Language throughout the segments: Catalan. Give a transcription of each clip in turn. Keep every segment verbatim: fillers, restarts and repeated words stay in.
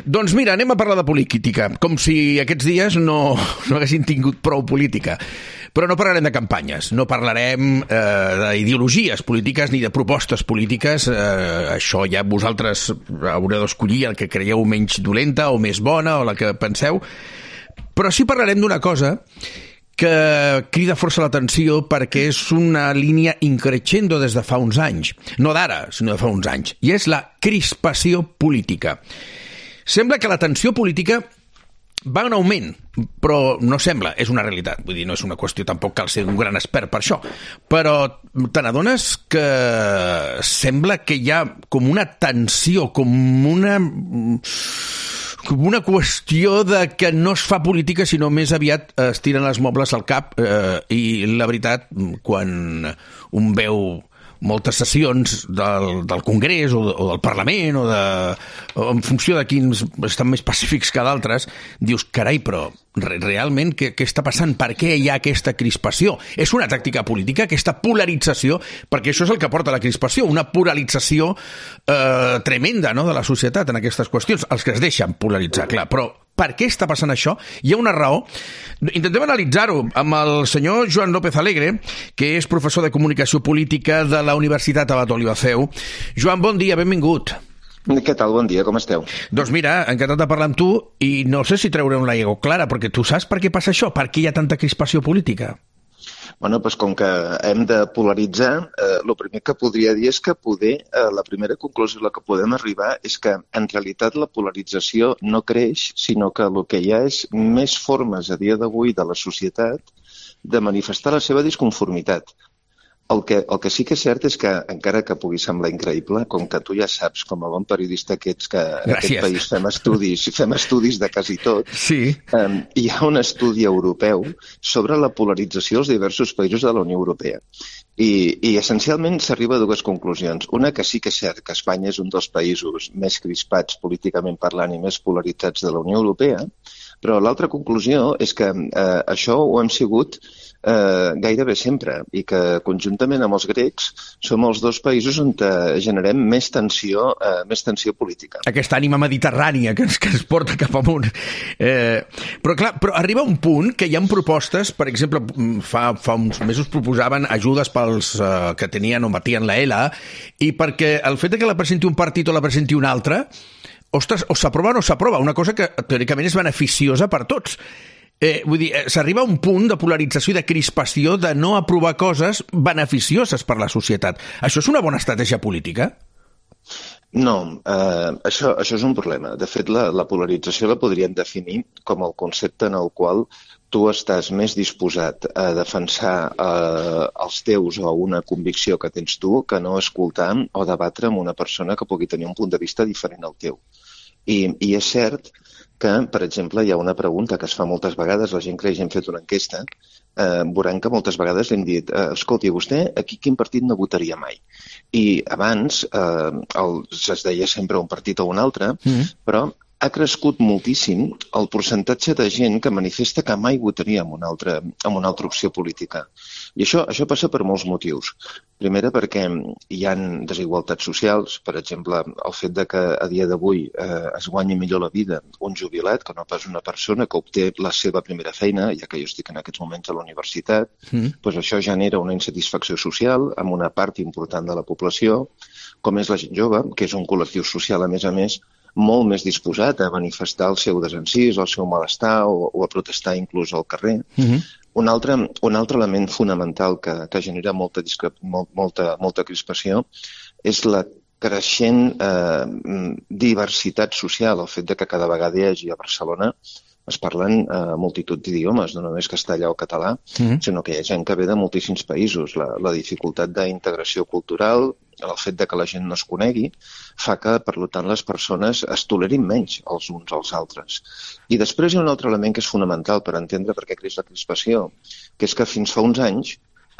Doncs mira, anem a parlar de política, com si aquests dies no, no haguessin tingut prou política. Però no parlarem de campanyes, no parlarem eh, d'ideologies polítiques ni de propostes polítiques. Eh, això ja vosaltres haureu d'escollir el que creieu menys dolenta o més bona o la que penseu. Però sí parlarem d'una cosa que crida força l'atenció perquè és una línia increixendo des de fa uns anys. No d'ara, sinó de fa uns anys. I és la crispació política. Sembla que la tensió política va en augment, però no sembla, és una realitat. Vull dir, no és una qüestió, tampoc cal ser un gran expert per això. Però te n'adones que sembla que hi ha com una tensió, com una... com una qüestió de que no es fa política, sinó més aviat es tiren els mobles al cap eh, i la veritat, quan un veu moltes sessions del, del Congrés o, o del Parlament o, de, o en funció de quins estan més pacífics que d'altres, dius, carai, però re, realment què, què està passant? Per què hi ha aquesta crispació? És una tàctica política, aquesta polarització, perquè això és el que porta a la crispació, una polarització eh, tremenda, no?, de la societat en aquestes qüestions, els que es deixen polaritzar, clar, però per què està passant això? Hi ha una raó. Intentem analitzar-ho amb el senyor Joan López Alegre, que és professor de Comunicació Política de la Universitat Abat Oliva Seu. Joan, bon dia, benvingut. Què tal? Bon dia, com esteu? Doncs mira, encantat de parlar amb tu i no sé si treurem la llengua clara, perquè tu saps per què passa això? Per què hi ha tanta crispació política? Bueno, doncs com que hem de polaritzar, eh, el primer que podria dir és que poder, eh, la primera conclusió a la que podem arribar és que en realitat la polarització no creix, sinó que el que hi ha és més formes a dia d'avui de la societat de manifestar la seva disconformitat. El que, el que sí que és cert és que, encara que pugui semblar increïble, com que tu ja saps, com a bon periodista que ets, que en Gràcies. aquest país fem estudis, fem estudis de quasi tot, sí. um, hi ha un estudi europeu sobre la polarització als diversos països de la Unió Europea. I, i essencialment s'arriba a dues conclusions. Una, que sí que és cert que Espanya és un dels països més crispats políticament parlant i més polaritzats de la Unió Europea, però l'altra conclusió és que eh, això ho hem sigut eh, gairebé sempre i que conjuntament amb els grecs som els dos països on generem més tensió, eh, més tensió política. Aquesta ànima mediterrània que ens, que ens porta cap amunt. Eh, però clar, però arriba un punt que hi ha propostes, per exemple, fa, fa uns mesos proposaven ajudes pels eh, que tenien o batien la E L A, i perquè el fet de que la presenti un partit o la presenti un altre, ostres, o s'aprova o no s'aprova, una cosa que teòricament és beneficiosa per tots. Eh, vull dir, s'arriba a un punt de polarització i de crispació de no aprovar coses beneficioses per la societat. Això és una bona estratègia política? No, eh, això, això és un problema. De fet, la, la polarització la podríem definir com el concepte en el qual tu estàs més disposat a defensar eh, els teus o una convicció que tens tu que no escoltar o debatre amb una persona que pugui tenir un punt de vista diferent al teu. I, i és cert que, per exemple, hi ha una pregunta que es fa moltes vegades, la gent creix, hem fet una enquesta, eh, veuran que moltes vegades li hem dit, eh, escolti, vostè aquí quin partit no votaria mai? I abans eh, el, es deia sempre un partit o un altre, mm. però ha crescut moltíssim el percentatge de gent que manifesta que mai votaria en una altra, en una altra opció política. I això, això passa per molts motius. Primera, perquè hi ha desigualtats socials, per exemple, el fet de que a dia d'avui eh, es guanyi millor la vida un jubilat que no pas una persona que obté la seva primera feina, ja que jo estic en aquests moments a la universitat, mm. doncs això genera una insatisfacció social amb una part important de la població, com és la gent jove, que és un col·lectiu social, a més a més, molt més disposat a manifestar el seu desencís, el seu malestar o, o a protestar inclús al carrer. Mm-hmm. Un altre, un altre element fonamental que, que genera molta, discrep, molt, molta, molta crispació és la creixent eh, diversitat social, el fet de que cada vegada hi hagi a Barcelona es parlen eh, multitud d'idiomes, no només castellà o català, mm-hmm. sinó que hi ha gent que ve de moltíssims països. La, la dificultat d'integració cultural, el fet de que la gent no es conegui, fa que, per tant, les persones es tolerin menys els uns als altres. I després hi ha un altre element que és fonamental per entendre per què creix la crispació, que és que fins fa uns anys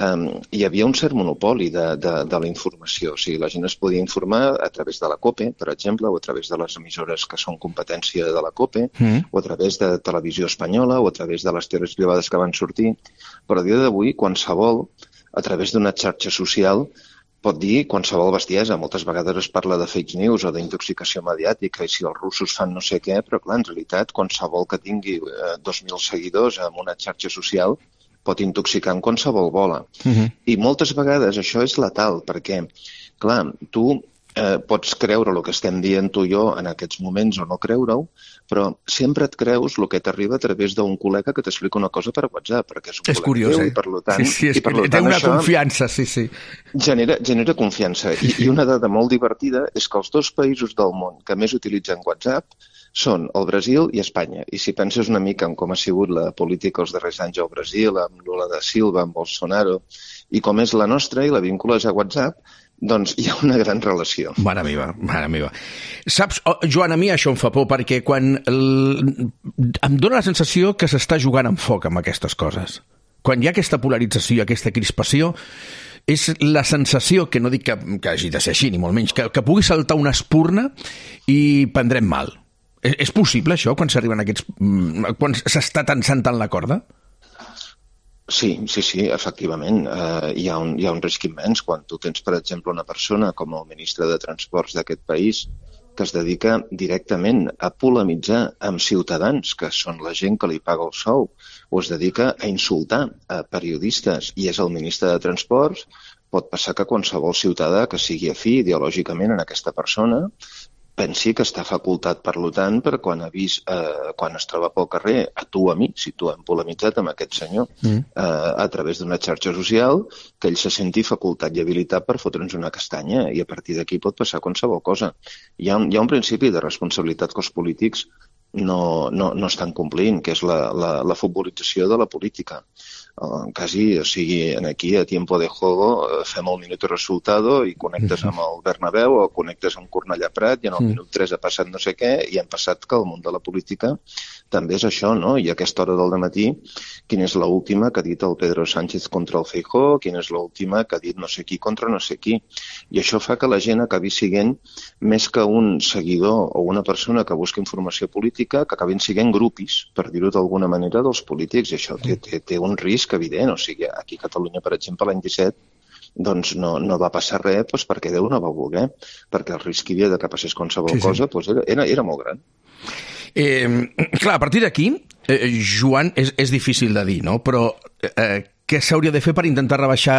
um, hi havia un cert monopoli de, de, de la informació. O sigui, la gent es podia informar a través de la COPE, per exemple, o a través de les emissores que són competència de la COPE, mm. o a través de Televisió Espanyola, o a través de les teles privades que van sortir. Però a dia d'avui, qualsevol, a través d'una xarxa social, pot dir qualsevol bestiesa. Moltes vegades es parla de fake news o d'intoxicació mediàtica i si els russos fan no sé què, però clar, en realitat qualsevol que tingui eh, dos mil seguidors en una xarxa social pot intoxicar en qualsevol bola. Uh-huh. I moltes vegades això és letal, perquè, clar, tu eh, pots creure el que estem dient tu i jo en aquests moments o no creure-ho, però sempre et creus el que t'arriba a través d'un col·lega que t'explica una cosa per WhatsApp, perquè és un és col·lega curiós, teu, eh? i per tant, sí, sí, és i per que tant, té una això confiança, sí, sí. Genera, genera confiança. I, I una dada molt divertida és que els dos països del món que més utilitzen WhatsApp són el Brasil i Espanya. I si penses una mica en com ha sigut la política els darrers anys al Brasil, amb Lula da Silva, amb Bolsonaro, i com és la nostra i la vincules a WhatsApp, doncs hi ha una gran relació. Mare meva, mare meva. Saps, oh, Joan, a mi això em fa por, perquè quan el... em dóna la sensació que s'està jugant amb foc amb aquestes coses. Quan hi ha aquesta polarització i aquesta crispació, és la sensació, que no dic que, que hagi de ser així, ni molt menys, que, que pugui saltar una espurna i prendrem mal. És, és possible, això, quan s'arriben aquests... quan s'està tensant tant la corda? Sí, sí, sí, efectivament. Uh, hi, ha un, hi ha un risc immens quan tu tens, per exemple, una persona com el ministre de Transports d'aquest país que es dedica directament a polemitzar amb ciutadans, que són la gent que li paga el sou, o es dedica a insultar a periodistes i és el ministre de Transports, pot passar que qualsevol ciutadà que sigui afí ideològicament en aquesta persona pensi que està facultat, per tant, per quan ha vist, eh, quan es troba pel carrer, a tu o a mi, si tu hem polemitzat amb aquest senyor, mm. eh, a través d'una xarxa social, que ell se senti facultat i habilitat per fotre'ns una castanya, i a partir d'aquí pot passar qualsevol cosa. Hi ha un, hi ha un principi de responsabilitat que els polítics no, no, no estan complint, que és la, la, la futbolització de la política. Uh, quasi, o sigui, aquí a tiempo de juego fem el minut de resultado i connectes amb el Bernabéu o connectes amb Cornellà Prat i en el minut tres ha passat no sé què i hem passat que el món de la política també és això, no? I a aquesta hora del dematí, quina és l'última que ha dit el Pedro Sánchez contra el Feijóo, quina és l'última que ha dit no sé qui contra no sé qui. I això fa que la gent acabi siguent més que un seguidor o una persona que busca informació política, que acabin siguent grupis, per dir-ho d'alguna manera, dels polítics. I això té, té, té un risc evident. O sigui, aquí a Catalunya, per exemple, l'any disset, doncs no, no va passar res doncs perquè Déu no va voler, perquè el risc que hi havia de que passés qualsevol sí, sí. cosa doncs era, era, era molt gran. Eh, clar, a partir d'aquí, eh, Joan, és, és difícil de dir, no? Però eh, què s'hauria de fer per intentar rebaixar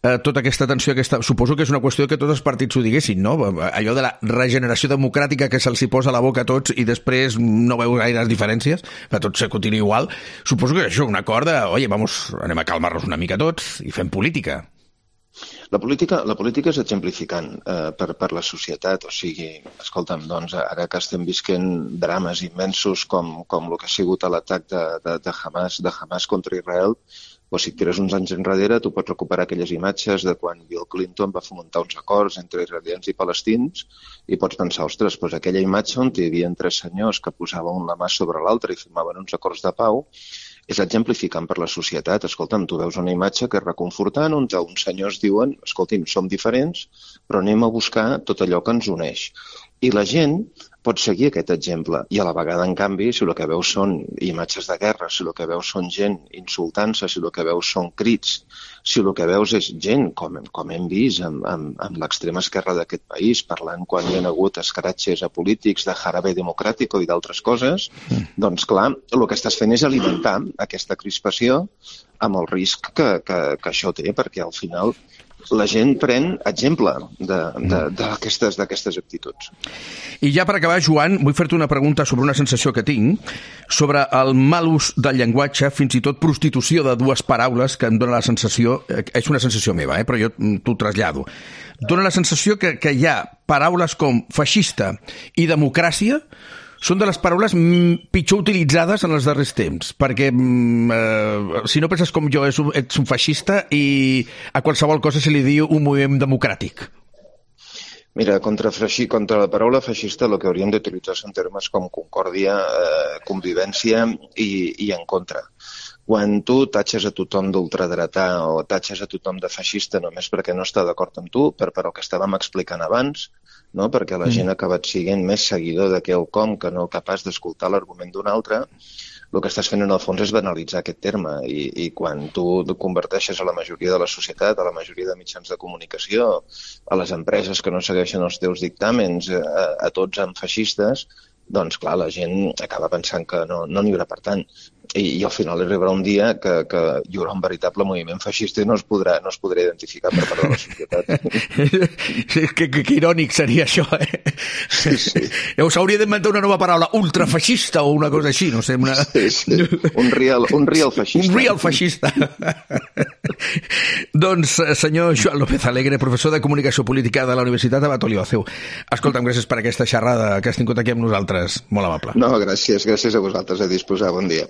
eh, tota aquesta tensió? Aquesta... Suposo que és una qüestió que tots els partits ho diguessin, no? Allò de la regeneració democràtica que se'ls posa a la boca a tots i després no veu gaires diferències, que tot se continua igual. Suposo que això, un acord de, oye, vamos, anem a calmar-nos una mica tots i fem política. La política, la política és exemplificant eh, per, per la societat, o sigui, escolta'm, doncs ara que estem visquent drames immensos com, com el que ha sigut l'atac de, de, de, Hamas, de Hamas contra Israel, o si tires uns anys enrere, tu pots recuperar aquelles imatges de quan Bill Clinton va fomentar uns acords entre israelians i palestins i pots pensar, ostres, doncs aquella imatge on hi havia tres senyors que posaven la mà sobre l'altra i firmaven uns acords de pau, és exemplificant per la societat. Escolta'm, tu veus una imatge que és reconfortant on uns senyors diuen, escolti'm, som diferents, però anem a buscar tot allò que ens uneix. I la gent pot seguir aquest exemple. I a la vegada, en canvi, si el que veus són imatges de guerra, si el que veus són gent insultant-se, si el que veus són crits, si el que veus és gent, com, com hem vist amb, amb, amb l'extrema esquerra d'aquest país, parlant quan hi ha hagut escratxes a polítics de jarabe democràtico i d'altres coses, mm. doncs clar, el que estàs fent és alimentar aquesta crispació amb el risc que, que, que això té, perquè al final la gent pren exemple d'aquestes d'aquestes actituds. I ja per acabar, Joan, vull fer-te una pregunta sobre una sensació que tinc, sobre el mal ús del llenguatge, fins i tot prostitució de dues paraules, que em dóna la sensació, és una sensació meva, eh, però jo t'ho trasllado, dóna la sensació que, que hi ha paraules com feixista i democràcia són de les paraules pitjor utilitzades en els darrers temps, perquè eh, si no penses com jo ets un, ets un feixista i a qualsevol cosa se li diu un moviment democràtic. Mira, contra, freixi, contra la paraula feixista el que hauríem d'utilitzar són termes com concòrdia, eh, convivència i, i en contra. Quan tu tatxes a tothom d'ultradretà o tatxes a tothom de feixista només perquè no està d'acord amb tu, per, per el que estàvem explicant abans, no? Perquè la gent ha acabat sent més seguidor de quelcom que no capaç d'escoltar l'argument d'un altre, el que estàs fent en el fons és banalitzar aquest terme i, i quan tu converteixes a la majoria de la societat, a la majoria de mitjans de comunicació, a les empreses que no segueixen els teus dictàmens, a, a tots amb feixistes, doncs clar, la gent acaba pensant que no n'hi no haurà per tant. I, i al final arribarà un dia que, que hi haurà un veritable moviment feixista i no es podrà, no es podrà identificar per part de la societat. que, que, que irònic seria això, eh? Sí, sí. Llavors s'hauria d'inventar una nova paraula, ultrafeixista o una cosa així, no sé. Una... Sí, sí. Un real, un real feixista. Un real feixista. Doncs, senyor Joan López Alegre, professor de Comunicació Política de la Universitat Abat Olivatheu. Escolta'm, gràcies per aquesta xerrada que has tingut aquí amb nosaltres. Molt amable. No, gràcies, gràcies a vosaltres, a disposar. Bon dia.